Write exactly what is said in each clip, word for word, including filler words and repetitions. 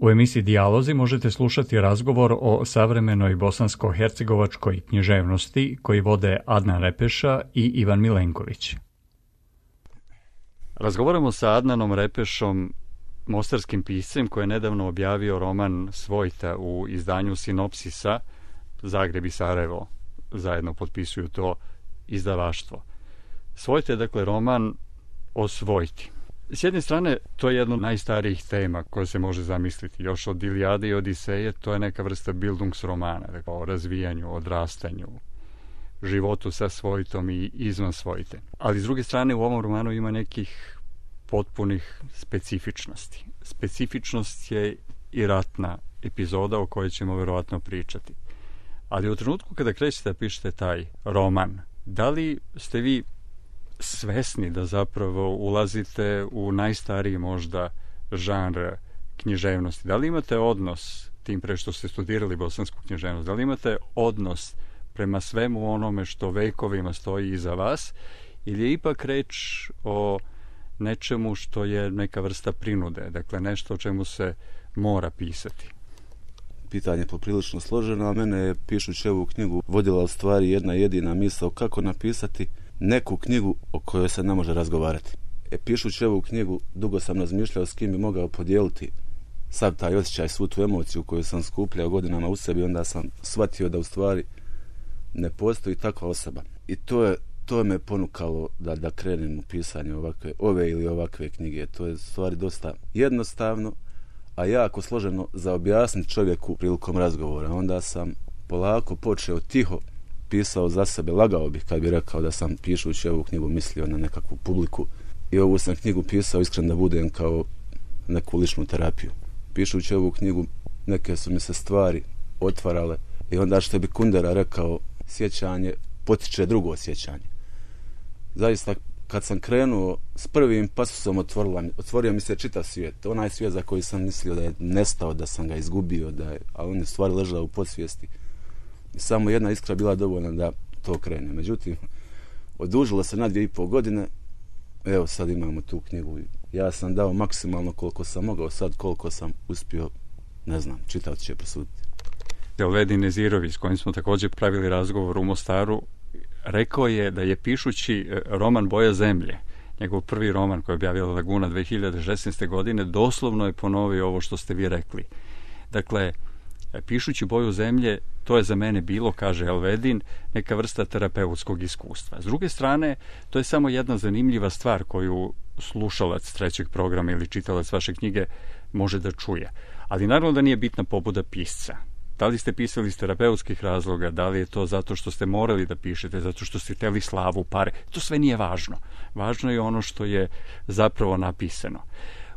U emisiji Dijalozi možete slušati razgovor o savremenoj bosansko-hercegovačkoj književnosti koji vode Adnan Repeša i Ivan Milenković. Razgovaramo sa Adnanom Repešom, mostarskim piscem koji je nedavno objavio roman Svojta u izdanju Sinopsisa. Zagreb i Sarajevo zajedno potpisuju to izdavaštvo. Svojta je dakle roman o svojti. S jedne strane, to je jedna od najstarijih tema koja se može zamisliti. Još od Ilijade i Odiseje, to je neka vrsta bildungsromana, dakle, o razvijanju, odrastanju, životu sa svojtom i izvan svojte. Ali s druge strane, u ovom romanu ima nekih potpunih specifičnosti. Specifičnost je i ratna epizoda o kojoj ćemo verovatno pričati. Ali u trenutku kada krećete da pišete taj roman, da li ste vi svesni da zapravo ulazite u najstariji možda žanr književnosti? Da li imate odnos, tim pre što ste studirali bosansku književnost, da li imate odnos prema svemu onome što vekovima stoji iza vas, ili je ipak reč o nečemu što je neka vrsta prinude, dakle nešto o čemu se mora pisati? Pitanje je poprilično složeno, a mene je, pišući ovu knjigu, vodila u stvari jedna jedina misao kako napisati neku knjigu o kojoj se ne može razgovarati. E, pišući ovu knjigu, dugo sam razmišljao s kim bi mogao podijeliti sav taj osjećaj, svu tu emociju koju sam skupljao godinama u sebi, onda sam shvatio da u stvari ne postoji takva osoba. I to je to me ponukalo da, da krenem u pisanje ovakve, ove ili ovakve knjige. To je u stvari dosta jednostavno, a jako složeno za objasniti čovjeku prilikom razgovora. Onda sam polako počeo tiho, pisao za sebe, lagao bih kad bi rekao da sam pišući ovu knjigu mislio na nekakvu publiku. I ovu sam knjigu pisao, iskreno da budem, kao neku ličnu terapiju. Pišući ovu knjigu neke su mi se stvari otvarale i onda što bi Kundera rekao, sjećanje potiče drugo sjećanje. Zaista, kad sam krenuo s prvim pasusom, otvorila, otvorio mi se čitav svijet. Onaj svijet za koji sam mislio da je nestao, da sam ga izgubio, da je, a on je stvari ležao u podsvijesti. I samo jedna iskra bila dovoljna da to krene. Međutim, odužilo se na dvije i pol godine. Evo, sad imamo tu knjigu. Ja sam dao maksimalno koliko sam mogao, sad koliko sam uspio, ne znam, čitaoci će prosuditi. Elvedin Nezirović, s kojim smo također pravili razgovor u Mostaru, rekao je da je pišući roman Boja zemlje, njegov prvi roman koji je objavila Laguna dve hiljade šesnaeste. godine, doslovno je ponovio ovo što ste vi rekli. Dakle, pišući Boju zemlje, to je za mene bilo, kaže Elvedin, neka vrsta terapeutskog iskustva. S druge strane, to je samo jedna zanimljiva stvar koju slušalac trećeg programa ili čitalac vaše knjige može da čuje. Ali naravno da nije bitna pobuda pisca. Da li ste pisali iz terapeutskih razloga, da li je to zato što ste morali da pišete, zato što ste hteli slavu, pare, to sve nije važno. Važno je ono što je zapravo napisano.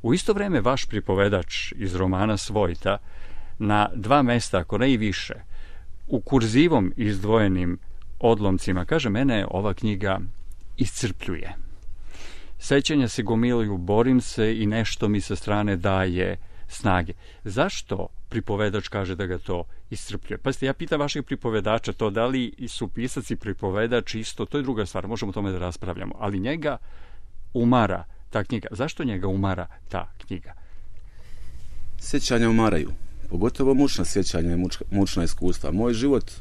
U isto vreme vaš pripovedač iz romana Svojta na dva mesta, ako ne i više, u kurzivom izdvojenim odlomcima, kaže, mene ova knjiga iscrpljuje. Sećanja se gomiluju, borim se i nešto mi sa strane daje snage. Zašto pripovedač kaže da ga to iscrpljuje? Pazite, ja pitam vašeg pripovedača to, da li su pisac i pripovedač isto, to je druga stvar, možemo o tome da raspravljamo, ali njega umara ta knjiga. Zašto njega umara ta knjiga? Sjećanja umaraju, pogotovo mučna sjećanja i mučna iskustva. Moj život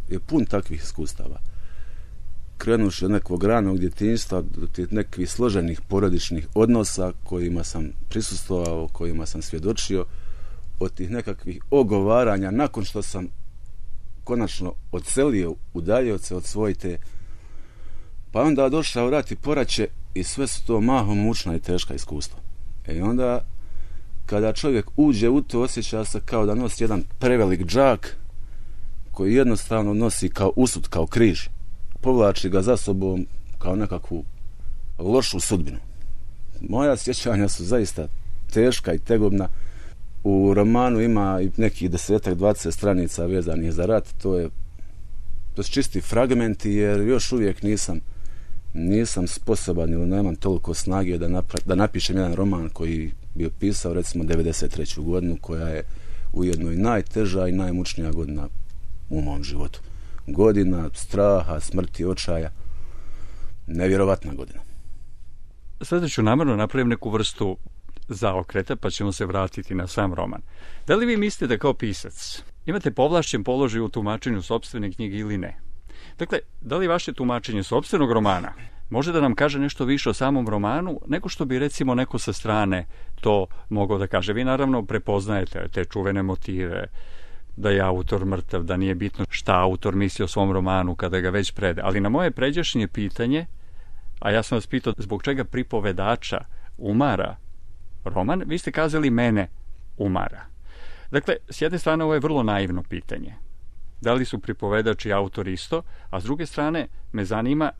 je pun takvih iskustava. Krenuši od nekog ranog djetinjstva do tih nekih složenih porodičnih odnosa kojima sam prisustvovao, kojima sam svjedočio, od tih nekakvih ogovaranja nakon što sam konačno odselio, udaljio se od svojte, pa onda došao rat i poraće i sve su to mahom mučna i teška iskustva. I onda kada čovjek uđe u to, osjeća se kao da nosi jedan prevelik džak koji jednostavno nosi kao usud, kao križ. Povlači ga za sobom kao nekakvu lošu sudbinu. Moja sjećanja su zaista teška i tegobna. U romanu ima i nekih desetak, dvadeset stranica vezanih za rat. To je to su čisti fragmenti, jer još uvijek nisam nisam sposoban ili nemam toliko snage da, napra- da napišem jedan roman koji bi opisao recimo devedeset treću godinu, koja je ujedno i najteža i najmučnija godina u mom životu. Godina straha, smrti, očaja. Nevjerovatna godina. Sada ću namjerno napravim neku vrstu zaokreta, pa ćemo se vratiti na sam roman. Da li vi mislite da kao pisac imate povlašćen položaj u tumačenju sopstvene knjige ili ne? Dakle, da li vaše tumačenje sopstvenog romana može da nam kaže nešto više o samom romanu nego što bi recimo neko sa strane to mogao da kaže? Vi naravno prepoznajete te čuvene motive, da je autor mrtav, da nije bitno šta autor misli o svom romanu kada ga već prede. Ali na moje pređašnje pitanje, a ja sam vas pitao zbog čega pripovedača umara roman, vi ste kazali mene umara. Dakle, s jedne strane ovo je vrlo naivno pitanje. Da li su pripovedač i autor isto, a s druge strane me zanima,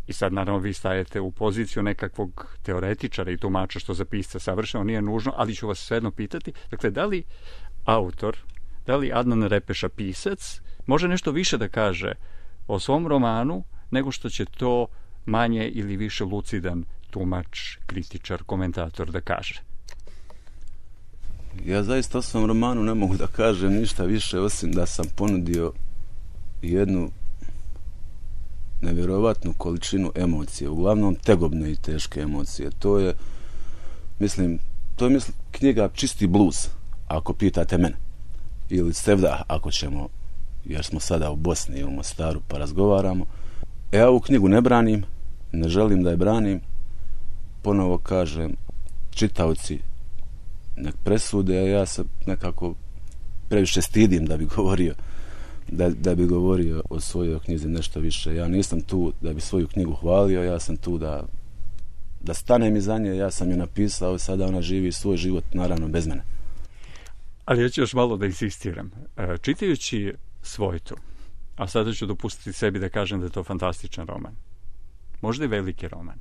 i sad naravno vi stajete u poziciju nekakvog teoretičara i tumača što za pisca savršeno nije nužno, ali ću vas svejedno pitati, dakle, da li autor, da li Adnan Repeša pisac može nešto više da kaže o svom romanu nego što će to manje ili više lucidan tumač, kritičar, komentator da kaže? Ja zaista o svom romanu ne mogu da kažem ništa više osim da sam ponudio jednu nevjerovatnu količinu emocije, uglavnom tegobne i teške emocije. To je, mislim, to je mislim, knjiga čisti blues, ako pitate mene. Ili sevdah, ako ćemo, jer smo sada u Bosni i u Mostaru pa razgovaramo. E, ja ovu knjigu ne branim, ne želim da je branim. Ponovo kažem, čitaoci nek presude, a ja se nekako previše stidim da bi govorio da, da bi govorio o svojoj knjizi nešto više. Ja nisam tu da bi svoju knjigu hvalio, ja sam tu da da stanem iza nje, ja sam je napisao, sada ona živi svoj život, naravno bez mene. Ali ja ću još malo da insistiram. Čitajući Svojtu, a sada ću dopustiti sebi da kažem da je to fantastičan roman, možda i veliki roman.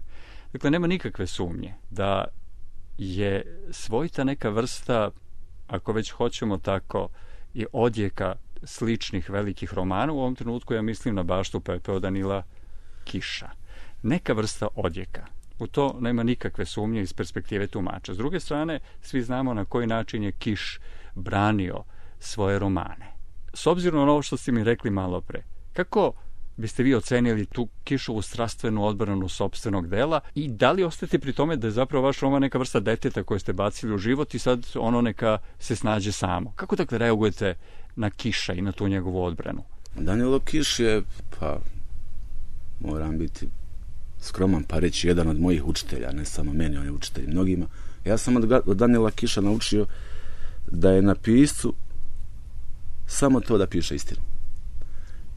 Dakle, nema nikakve sumnje da je Svojta neka vrsta, ako već hoćemo tako, i odjeka sličnih velikih romana. U ovom trenutku ja mislim na Baštu pepeo Danila Kiša. Neka vrsta odjeka. U to nema nikakve sumnje iz perspektive tumača. S druge strane, svi znamo na koji način je Kiš branio svoje romane. S obzirom na ovo što ste mi rekli malo pre, kako biste vi ocenili tu Kišovu strastvenu odbranu sopstvenog dela i da li ostajete pri tome da je zapravo vaš roman neka vrsta deteta koje ste bacili u život i sad ono neka se snađe samo? Kako dakle reagujete na Kiša i na tu njegovu odbranu? Danilo Kiš je, pa moram biti skroman pa reći, jedan od mojih učitelja, ne samo meni, on je učitelj mnogima. Ja sam od, od Danila Kiša naučio da je na piscu samo to da piše istinu.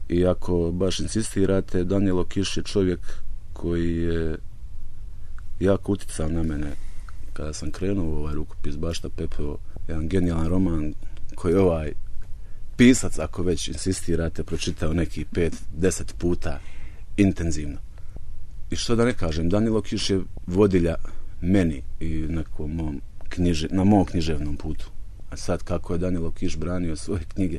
I ako baš insistirate, Danilo Kiš je čovjek koji je jako uticao na mene kada sam krenuo u ovaj rukopis Bašta pepeo, jedan genijalan roman koji ovaj pisac, ako već insistirate, pročitao neki pet, deset puta intenzivno. I što da ne kažem, Danilo Kiš je vodilja meni i nekom mom knjiže, na mom književnom putu. A sad kako je Danilo Kiš branio svoje knjige,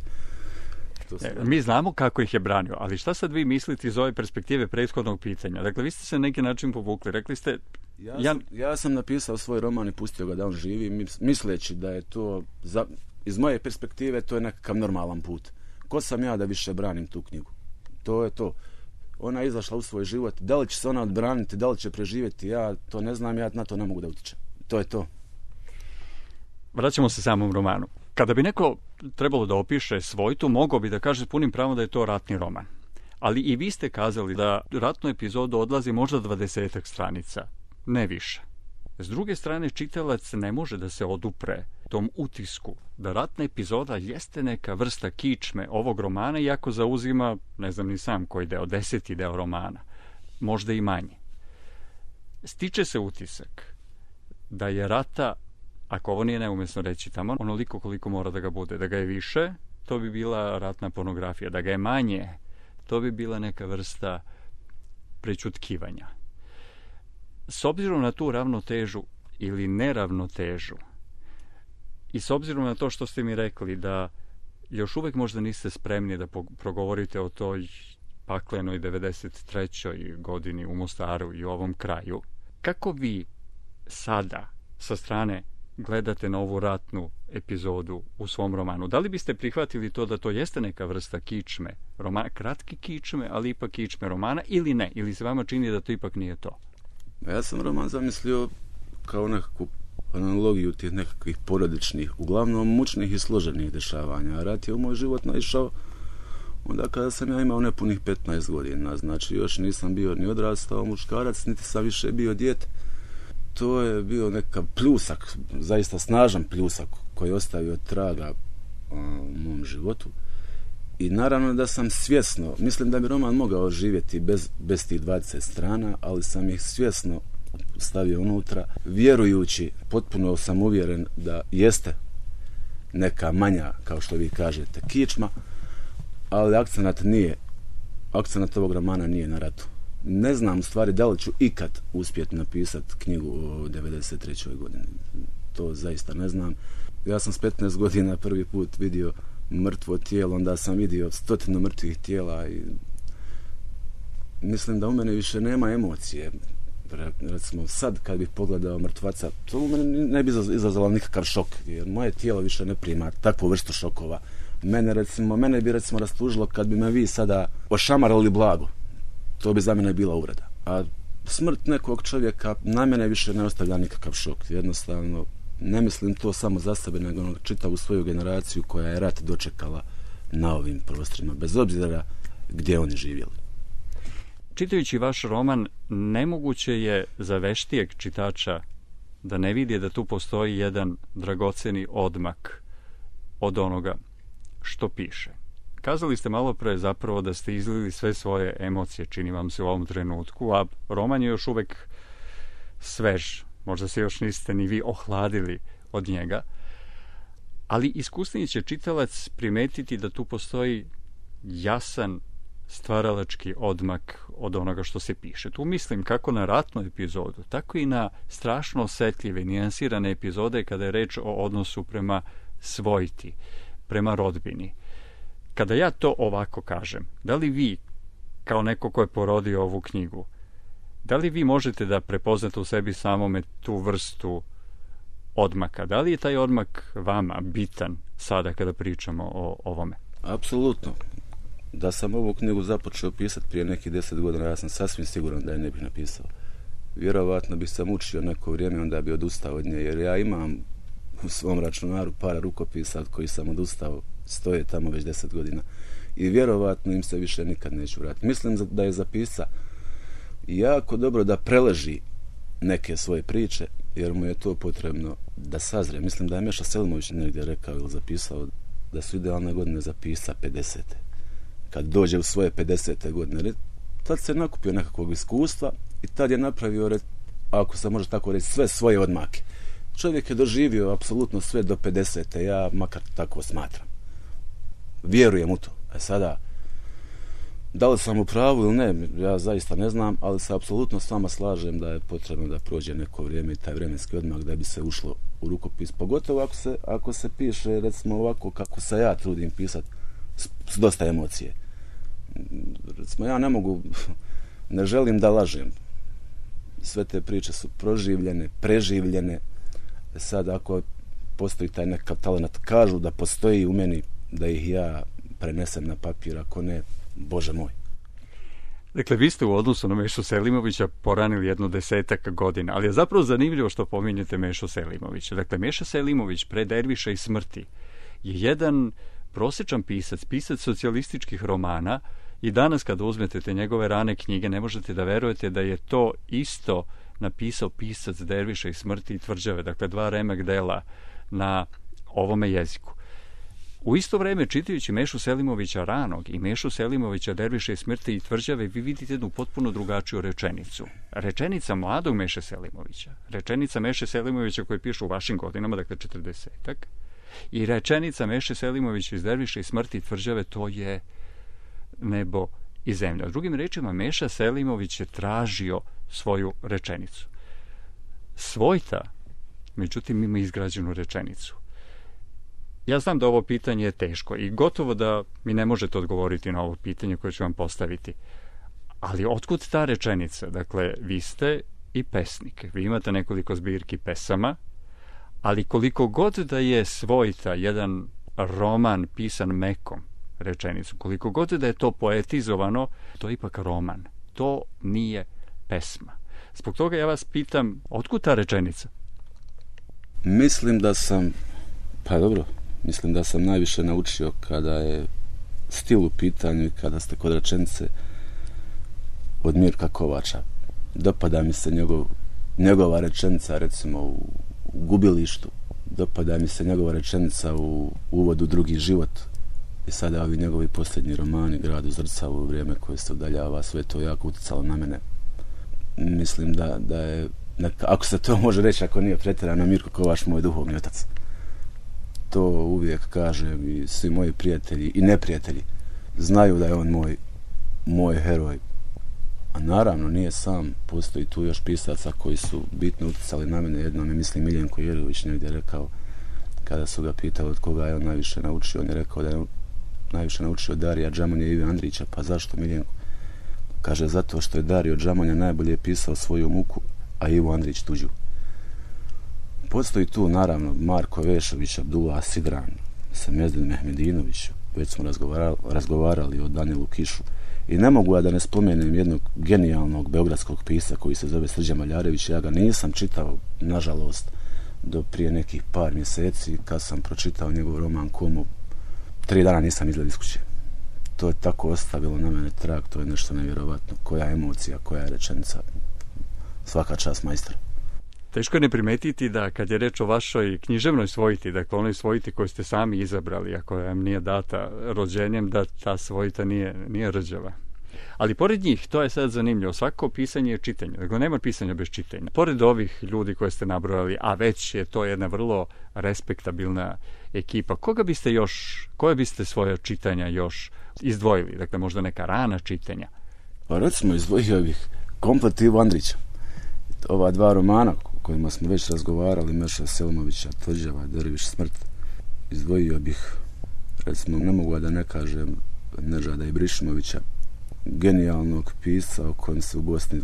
E, mi znamo kako ih je branio, ali šta sad vi mislite iz ove perspektive prethodnog pitanja? Dakle, vi ste se na neki način povukli. Rekli ste... Ja, ja... Sam, ja sam napisao svoj roman i pustio ga da on živi, misleći da je to, za, iz moje perspektive, to je nekakav normalan put. Ko sam ja da više branim tu knjigu? To je to. Ona je izašla u svoj život. Da li će se ona odbraniti, da li će preživjeti, ja to ne znam, ja na to ne mogu da utičem. To je to. Vraćamo se samom romanu. Kada bi neko trebalo da opiše Svojtu, mogao bi da kaže s punim pravom da je to ratni roman. Ali i vi ste kazali da ratnu epizodu odlazi možda dvadesetak stranica, ne više. S druge strane, čitalac ne može da se odupre tom utisku da ratna epizoda jeste neka vrsta kičme ovog romana, iako zauzima, ne znam ni sam koji deo, deseti deo romana, možda i manje. Stiče se utisak da je rata, ako ovo nije neumjesno reći tamo, onoliko koliko mora da ga bude. Da ga je više, to bi bila ratna pornografija. Da ga je manje, to bi bila neka vrsta prećutkivanja. S obzirom na tu ravnotežu ili neravnotežu i s obzirom na to što ste mi rekli da još uvek možda niste spremni da progovorite o toj paklenoj devedeset trećoj godini u Mostaru i u ovom kraju, kako vi sada sa strane gledate na ovu ratnu epizodu u svom romanu? Da li biste prihvatili to da to jeste neka vrsta kičme, roman, kratki kičme, ali ipak kičme romana, ili ne? Ili se vama čini da to ipak nije to? Ja sam roman zamislio kao nekakvu analogiju tih nekakvih porodičnih, uglavnom mučnih i složenih dešavanja. Rat je u moj život naišao onda kada sam ja imao nepunih petnaest godina, znači još nisam bio ni odrastao muškarac, niti sam više bio dijete. To je bio nekav pljusak, zaista snažan pljusak koji je ostavio traga u mom životu. I naravno da sam svjesno, mislim da bi roman mogao živjeti bez, bez tih dvadeset strana, ali sam ih svjesno stavio unutra, vjerujući, potpuno sam uvjeren da jeste neka manja, kao što vi kažete, kičma, ali akcenat nije, akcenat ovog romana nije na ratu. Ne znam u stvari da li ću ikad uspjeti napisati knjigu o devedeset trećoj godini. To zaista ne znam. Ja sam s petnaest godina prvi put vidio mrtvo tijelo, onda sam vidio stotinu mrtvih tijela i mislim da u mene više nema emocije. Recimo sad kad bih pogledao mrtvaca, to u mene ne bi izazvalo nikakav šok, jer moje tijelo više ne prima takvu vrstu šokova. Mene, recimo, mene bi recimo rastužilo kad bi me vi sada ošamarali blago. To bi za mene bila uvreda. A smrt nekog čovjeka na mene više ne ostavlja nikakav šok. Jednostavno, ne mislim to samo za sebe, nego čitavu svoju generaciju koja je rat dočekala na ovim prostorima, bez obzira gdje oni živjeli. Čitajući vaš roman, nemoguće je za veštijeg čitača da ne vidi da tu postoji jedan dragoceni odmak od onoga što piše. Kazali ste malo pre zapravo da ste izlili sve svoje emocije, čini vam se u ovom trenutku, a roman je još uvek svež. Možda se još niste ni vi ohladili od njega, ali iskusniji će čitalac primetiti da tu postoji jasan stvaralački odmak od onoga što se piše. Tu mislim kako na ratnu epizodu, tako i na strašno osetljive, nijansirane epizode kada je reč o odnosu prema svojti, prema rodbini. Kada ja to ovako kažem, da li vi, kao neko ko je porodio ovu knjigu, da li vi možete da prepoznate u sebi samome tu vrstu odmaka? Da li je taj odmak vama bitan sada kada pričamo o ovome? Apsolutno. Da sam ovu knjigu započeo pisati prije nekih deset godina, ja sam sasvim siguran da je ne bih napisao. Vjerovatno bi sam učio neko vrijeme, onda bi odustao od nje, jer ja imam u svom računaru para rukopisa od koji sam odustao, stoje tamo već deset godina. I vjerovatno im se više nikad neću vratiti. Mislim da je za pisca jako dobro da preleži neke svoje priče, jer mu je to potrebno da sazre. Mislim da je Meša Selimović negdje rekao ili zapisao da su idealne godine za pisca pedesete. Kad dođe u svoje pedesete godine, tad se nakupio nekakvog iskustva i tad je napravio, ako se može tako reći, sve svoje odmake. Čovjek je doživio apsolutno sve do pedesete, ja makar tako smatram. Vjerujem u to. A sada, da li sam u pravu ili ne, ja zaista ne znam, ali se apsolutno s vama slažem da je potrebno da prođe neko vrijeme i taj vremenski odmak da bi se ušlo u rukopis. Pogotovo ako se, ako se piše, recimo ovako kako se ja trudim pisati, s, s dosta emocije. Recimo, ja ne mogu, ne želim da lažem. Sve te priče su proživljene, preživljene. Sad, ako postoji taj nekav talent, kažu da postoji u meni, da ih ja prenesem na papir, ako ne, Bože moj. Dakle, vi ste u odnosu na Mešu Selimovića poranili jedno desetak godina, ali je zapravo zanimljivo što pominjete Mešu Selimovića. Dakle, Meša Selimović pre Derviša i smrti je jedan prosječan pisac, pisac socijalističkih romana i danas kada uzmete te njegove rane knjige ne možete da verujete da je to isto napisao pisac Derviša i smrti i Tvrđave, dakle dva remek dela na ovome jeziku. U isto vreme, čitajući Mešu Selimovića ranog i Mešu Selimovića Derviša i smrti i Tvrđave, vi vidite jednu potpuno drugačiju rečenicu. Rečenica mladog Meše Selimovića, rečenica Meše Selimovića koji piše u vašim godinama, dakle četrdesetak, i rečenica Meše Selimovića iz Derviša i smrti i Tvrđave, to je nebo i zemlja. Drugim rečima, Meša Selimović je tražio svoju rečenicu. Svojta, međutim, ima izgrađenu rečenicu. Ja znam da ovo pitanje je teško i gotovo da mi ne možete odgovoriti na ovo pitanje koje ću vam postaviti. Ali otkud ta rečenica? Dakle, vi ste i pesnik. Vi imate nekoliko zbirki pesama, ali koliko god da je Svojta jedan roman pisan mekom rečenicu, koliko god da je to poetizovano, to je ipak roman. To nije pesma. Zbog toga ja vas pitam, otkud ta rečenica? Mislim da sam, pa dobro, mislim da sam najviše naučio kada je stil u pitanju i kada ste kod rečenice od Mirka Kovača. Dopada mi se njegov, njegova rečenica, recimo, u, u Gubilištu. Dopada mi se njegova rečenica u Uvodu drugi život. I sada ovi njegovi posljednji romani, Grad u zrcalu, Vrijeme koje se udaljava, sve to jako utjecalo na mene. Mislim da, da je, neka, ako se to može reći, ako nije pretjerano, Mirko Kovač moj duhovni otac. To uvijek kažem i svi moji prijatelji i neprijatelji znaju da je on moj, moj heroj. A naravno nije sam, postoji tu još pisaca koji su bitno utjecali na mene. Jednom je, mislim, Miljenko Jergović negdje rekao, kada su ga pitali od koga je on najviše naučio, on je rekao da je on najviše naučio Darija Džamonja i Ive Andrića. Pa zašto, Miljenko? Kaže, zato što je Dario Džamonja najbolje pisao svoju muku, a Ivo Andrić tuđu. Postoji tu, naravno, Marko Vešović, Abdullah Sidran, Semezdin Mehmedinović, već smo razgovarali, razgovarali o Danielu Kišu. I ne mogu ja da ne spomenem jednog genijalnog beogradskog pisa koji se zove Srđan Maljarević. Ja ga nisam čitao, nažalost, do prije nekih par mjeseci, kad sam pročitao njegov roman Komo. Tri dana nisam izgled iz kuće. To je tako ostavilo na mene trag, to je nešto nevjerovatno. Koja emocija, koja je rečenica. Svaka čast, majstor. Teško je ne primetiti da kad je reč o vašoj književnoj svojiti, dakle onoj svojiti koju ste sami izabrali, a koja vam nije data rođenjem, da ta svojita nije, nije rđava. Ali pored njih, to je sad zanimljivo, svako pisanje je čitanje, dakle nema pisanja bez čitanja. Pored ovih ljudi koje ste nabrojali, a već je to jedna vrlo respektabilna ekipa, koga biste još, koje biste svoje čitanja još izdvojili? Dakle, možda neka rana čitanja? Pa recimo izdvojio bih komplet Ivo Andrića. Ova dva romana kojima smo već razgovarali, Meša Selmovića, Tvrđava, Derviš smrt, izdvojio bih, recimo, ne mogu da ne kažem, Nežada Ibrišimovića, genijalnog pisca o kojem se u Bosni,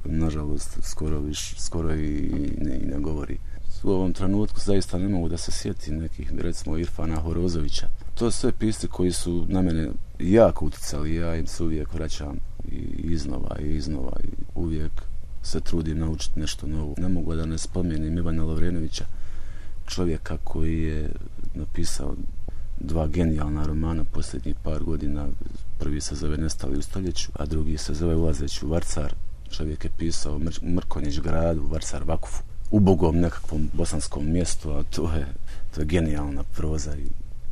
nažalost, skoro, viš, skoro i ne, i ne govori. U ovom trenutku zaista ne mogu da se sjetim nekih, recimo, Irfana Horozovića. To su sve pisci koji su na mene jako utjecali, ja im se uvijek vraćam i iznova i iznova i uvijek se trudim naučiti nešto novo. Ne mogu da ne spomenem Ivana Lovrenovića, čovjeka koji je napisao dva genijalna romana posljednjih par godina. Prvi se zove Nestali u stoljeću, a drugi se zove Ulazeći u Varcar. Čovjek je pisao Mr- Mrkonjić gradu, Varcar Vakufu, ubogom nekakvom bosanskom mjestu, a to je, to je genijalna proza i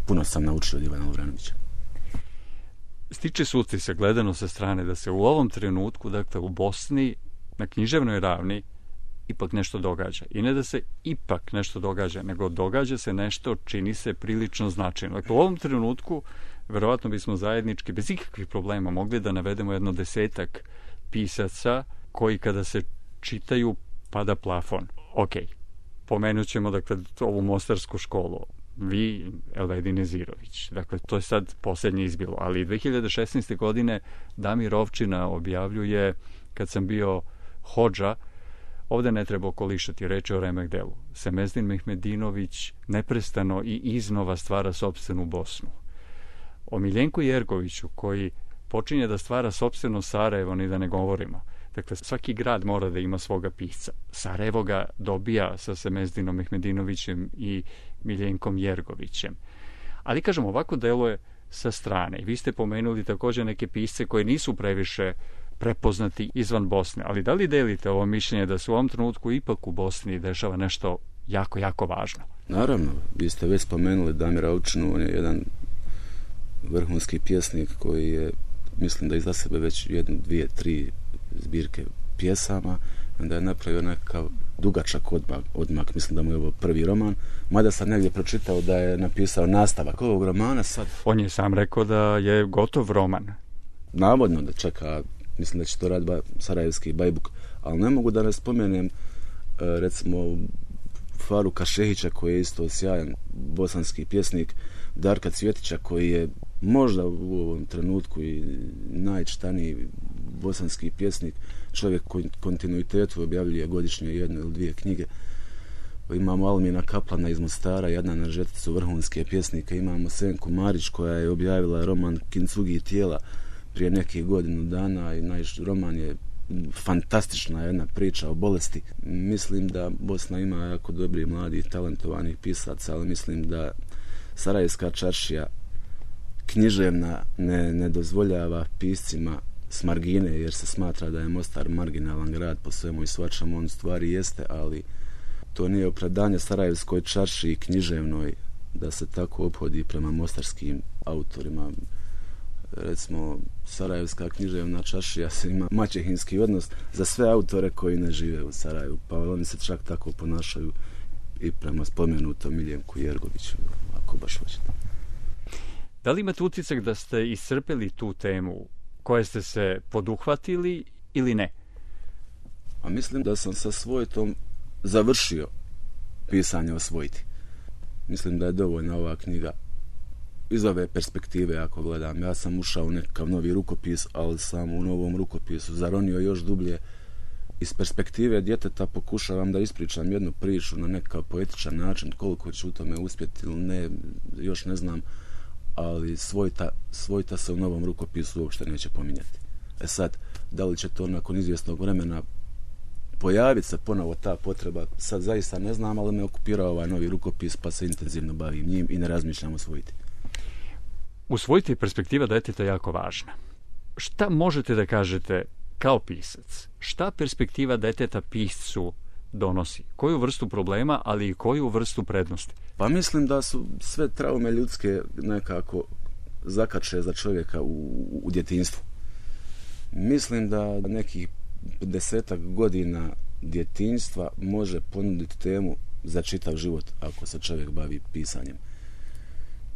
puno sam naučio od Ivana Lovrenovića. Stiče se utisak, gledano sa strane, da se u ovom trenutku, dakle u Bosni, na književnoj ravni, ipak nešto događa. I ne da se ipak nešto događa, nego događa se nešto, čini se prilično značajno. Dakle, u ovom trenutku, verovatno bismo zajednički, bez ikakvih problema, mogli da navedemo jedno desetak pisaca koji kada se čitaju pada plafon. Ok, pomenut ćemo, dakle, ovu mostarsku školu. Vi, Elvedin Nezirović. Dakle, to je sad posljednje izbilo. Ali dve hiljade šesnaeste. godine Damir Ovčina objavljuje Kad sam bio hodža, ovdje ne treba okolišati, reći o remek delu. Semezdin Mehmedinović neprestano i iznova stvara sopstvenu Bosnu. O Miljenku Jergoviću, koji počinje da stvara sopstveno Sarajevo, ni da ne govorimo. Dakle, svaki grad mora da ima svoga pisca. Sarajevo ga dobija sa Semezdinom Mehmedinovićem i Miljenkom Jergovićem. Ali, kažem, ovako deluje sa strane. I vi ste pomenuli također neke pisce koji nisu previše prepoznati izvan Bosne. Ali da li delite ovo mišljenje da se u ovom trenutku ipak u Bosni dešava nešto jako, jako važno? Naravno, vi ste već spomenuli Damira Ovčinu, on je jedan vrhunski pjesnik koji je, mislim da iza sebe već jednu, dvije, tri zbirke pjesama, onda je napravio nekakav dugačak odmak, odmak, mislim da mu je ovo prvi roman, mada sam negdje pročitao da je napisao nastavak ovog romana sad. On je sam rekao da je gotov roman. Navodno da čeka, mislim da će to raditi ba, sarajevski Bajbuk, ali ne mogu da ne spomenem recimo Faruka Šehića koji je isto sjajan bosanski pjesnik, Darka Cvjetića koji je možda u ovom trenutku i najčitaniji bosanski pjesnik, čovjek koji kontinuitetu objavljuje godišnje jednu ili dvije knjige. Imamo Almina Kaplana iz Mostara, jedna na žeticu vrhunske pjesnike, imamo Senku Marić koja je objavila roman Kincugi tijela prije nekih godinu dana i naš roman je fantastična jedna priča o bolesti. Mislim da Bosna ima jako dobri, mladi, talentovanih pisaca, ali mislim da Sarajevska čaršija književna ne, ne dozvoljava piscima s margine, jer se smatra da je Mostar marginalan grad po svemu i svačemu, on stvari jeste, ali to nije opravdanje Sarajevskoj čaršiji književnoj da se tako ophodi prema mostarskim autorima. Recimo, Sarajevska književna čaršija se ima maćehinski odnos za sve autore koji ne žive u Sarajevu, pa oni se čak tako ponašaju i prema spomenutom Miljenku Jergoviću, ako baš hoćete. Da li imate utisak da ste iscrpili tu temu koje ste se poduhvatili ili ne? A mislim da sam sa Svojtom završio pisanje o Svojti. Mislim da je dovoljna ova knjiga iz ove perspektive, ako gledam. Ja sam ušao u nekakav novi rukopis, ali sam u novom rukopisu zaronio još dublje. Iz perspektive djeteta pokušavam da ispričam jednu priču na nekakav poetičan način. Koliko ću u tome uspjeti ili ne, još ne znam, ali Svojta, Svojta se u novom rukopisu uopšte neće pominjati. E sad, da li će to nakon izvjesnog vremena pojaviti se ponovo ta potreba, sad zaista ne znam, ali me okupirao ovaj novi rukopis, pa se intenzivno bavim njim i ne razmišljam o Svojti. U Svojti je perspektiva djeteta jako važna. Šta možete da kažete kao pisac? Šta perspektiva djeteta piscu donosi? Koju vrstu problema, ali i koju vrstu prednosti? Pa mislim da su sve traume ljudske nekako zakače za čovjeka u, u djetinjstvu. Mislim da nekih desetak godina djetinjstva može ponuditi temu za čitav život ako se čovjek bavi pisanjem.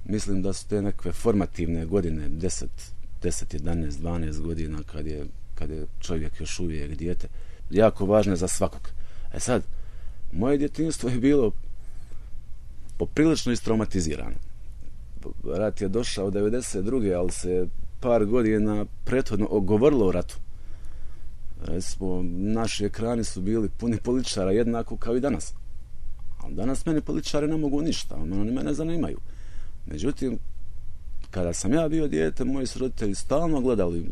Mislim da su te nekakve formativne godine, deset, jedanaest, dvanaest godina kad je, kad je čovjek još uvijek dijete, jako važne za svakog. E sad, moje djetinjstvo je bilo poprilično istraumatizirano. Rat je došao devedeset druge ali se par godina prethodno govorilo o ratu. Recimo, naši ekrani su bili puni političara jednako kao i danas. Ali danas meni političari ne mogu ništa, oni mene zanimaju. Međutim, kada sam ja bio dijete, moji su roditelji stalno gledali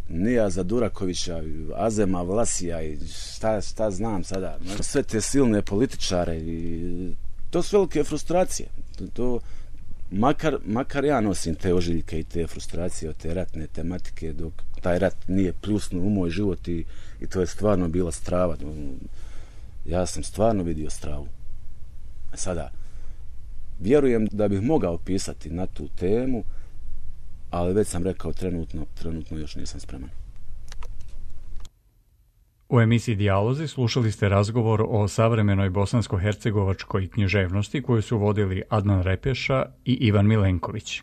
Nijaza Durakovića, Azema Vlasija i šta, šta znam sada. Sve te silne političare i to su velike frustracije. To, to, makar, makar ja nosim te ožiljke i te frustracije od te ratne tematike, dok taj rat nije pljusnuo u moj život i, i to je stvarno bila strava. Ja sam stvarno vidio stravu. A sada, vjerujem da bih mogao pisati na tu temu, ali već sam rekao trenutno, trenutno još nisam spreman. U emisiji Dijalozi slušali ste razgovor o savremenoj bosansko-hercegovačkoj književnosti koju su vodili Adnan Repeša i Ivan Milenković.